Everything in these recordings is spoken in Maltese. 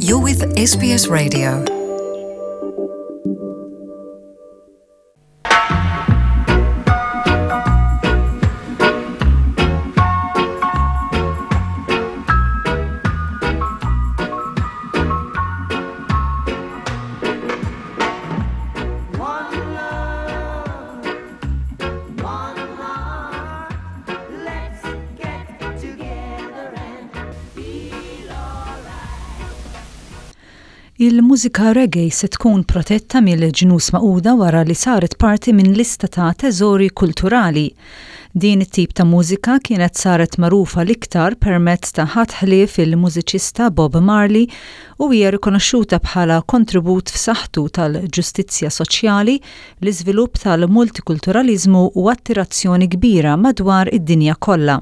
You're with SBS Radio. Il-mużika reggae se tkun protetta mill-Ġnus Magħquda wara li saret parti minn lista ta' teżori kulturali. Din it-tip ta' mużika kienet saret magħrufa l-iktar permezz ta' ħadd ħlief il-mużiċista Bob Marley u hija rikonoxxuta bħala kontribut f'saħħtu tal-ġustizzja soċjali, l-iżvilupp tal-multikulturaliżmu u attirazzjoni kbira madwar id-dinja kollha.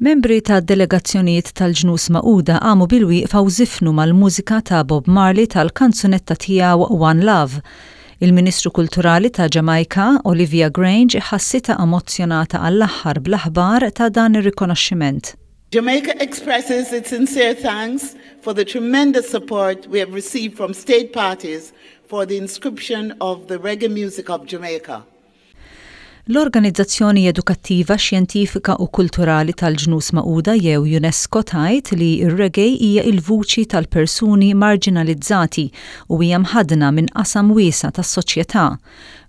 Membri ta' delegazzjonijiet tal-Ġnus Magħquda qamu bilwieqfa u żifnu mal-mużika ta' Bob Marley tal-kanzunetta tiegħu One Love. Il-Ministru Kulturali ta' Ġamajka, Olivia Grange ħassitha emozzjonata għall-aħħar bl-aħbar ta' dan ir-rikonoxximent. Jamaica expresses its sincere thanks for the tremendous support we have received from state parties for the inscription of the reggae music of Jamaica. L-Organizzazzjoni Edukattiva, Xjentifika u Kulturali tal-Ġnus Magħquda jew UNESCO tgħid li r-reggae hija l-vuċi tal-persuni marġinalizzati u hija mħaddna minn qasam wiesa' tas-soċjetà.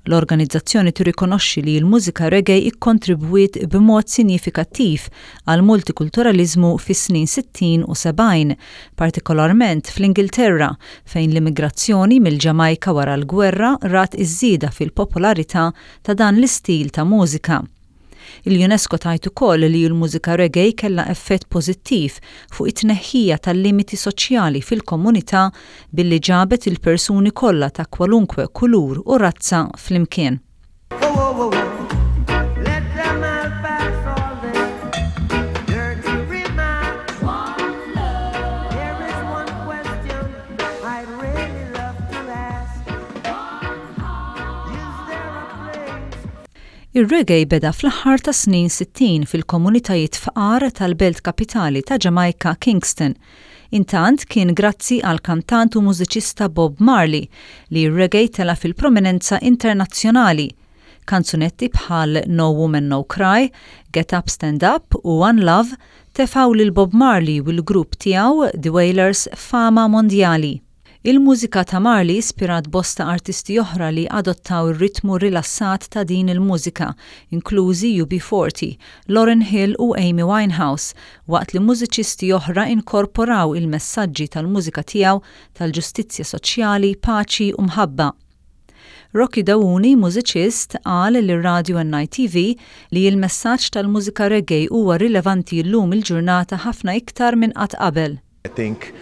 L-organizzazzjoni tirrikonoxxi li l-mużika reggae kkontribwiet b'mod sinjifikattiv għall-multikulturaliżmu fis-snin 60 u 70, partikolarment fl-Ingilterra, fejn l-immigrazzjoni mill-Ġamajka wara l-gwerra rat iż-żieda fil-popolarità ta' dan l-istil ta' mużika. Il-UNESCO tgħid ukoll li l-mużika reggae kellha effett pożittiv fuq it-tneħħija tal-limiti soċjali fil-komunità billi ġabet il-persuni kollha ta' kwalunkwe kulur u razza flimkien. Ir-reggae beda fl-aħħar tas-snin 60 fil-komunitajiet fqar tal-belt kapitali ta' Ġamajka, Kingston. Intant, kien grazzi għall-kantant u mużiċista Bob Marley li r-reggae tela' fil-prominenza internazzjonali. Kanzunetti bħal No Woman No Cry, Get Up Stand Up u One Love tefgħu lil Bob Marley u l-grupp tiegħu The Wailers f'fama mondjali. Il-mużika ta' Marley ispirat bosta artisti oħra li adottaw ir-ritmu rilassat ta' din il-mużika, inklużi UB40, Lauryn Hill u Amy Winehouse, waqt li mużiċisti oħra inkorporaw il-messaġġi tal-mużika tiegħu tal-ġustizzja soċjali, paċi u mħabba. Rocky Dawuni, mużiċist, qal lir-radju NITV li l-messaġġ tal-mużika reggae huwa rilevanti llum il-ġurnata ħafna iktar minn qatt qabel. I think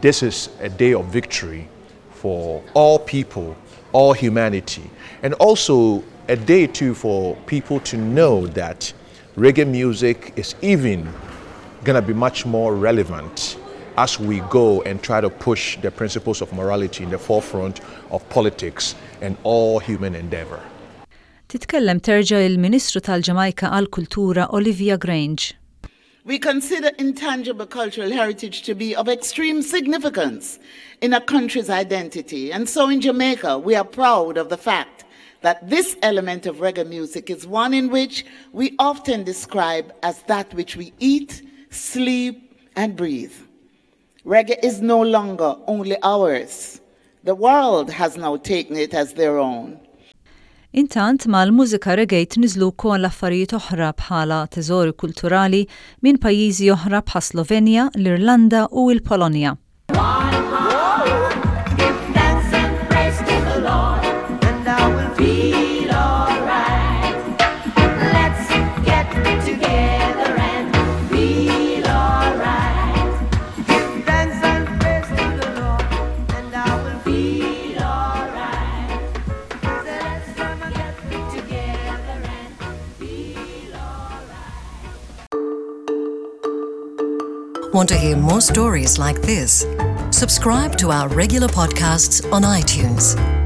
this is a day of victory for all people, all humanity, and also a day too for people to know that reggae music is even going to be much more relevant as we go and try to push the principles of morality in the forefront of politics and all human endeavor. Titkellem terġa' il-Ministru tal-Ġamajka għall-Kultura Olivia Grange. We consider intangible cultural heritage to be of extreme significance in a country's identity. And so in Jamaica, we are proud of the fact that this element of reggae music is one in which we often describe as that which we eat, sleep, and breathe. Reggae is no longer only ours. The world has now taken it as their own. Intant, mal-mużika reggae tniżżlu wkoll affarijiet oħra bħala teżori kulturali minn pajjiżi oħra bħas-Slovenja, l-Irlanda u l-Polonja. Want to hear more stories like this? Subscribe to our regular podcasts on iTunes.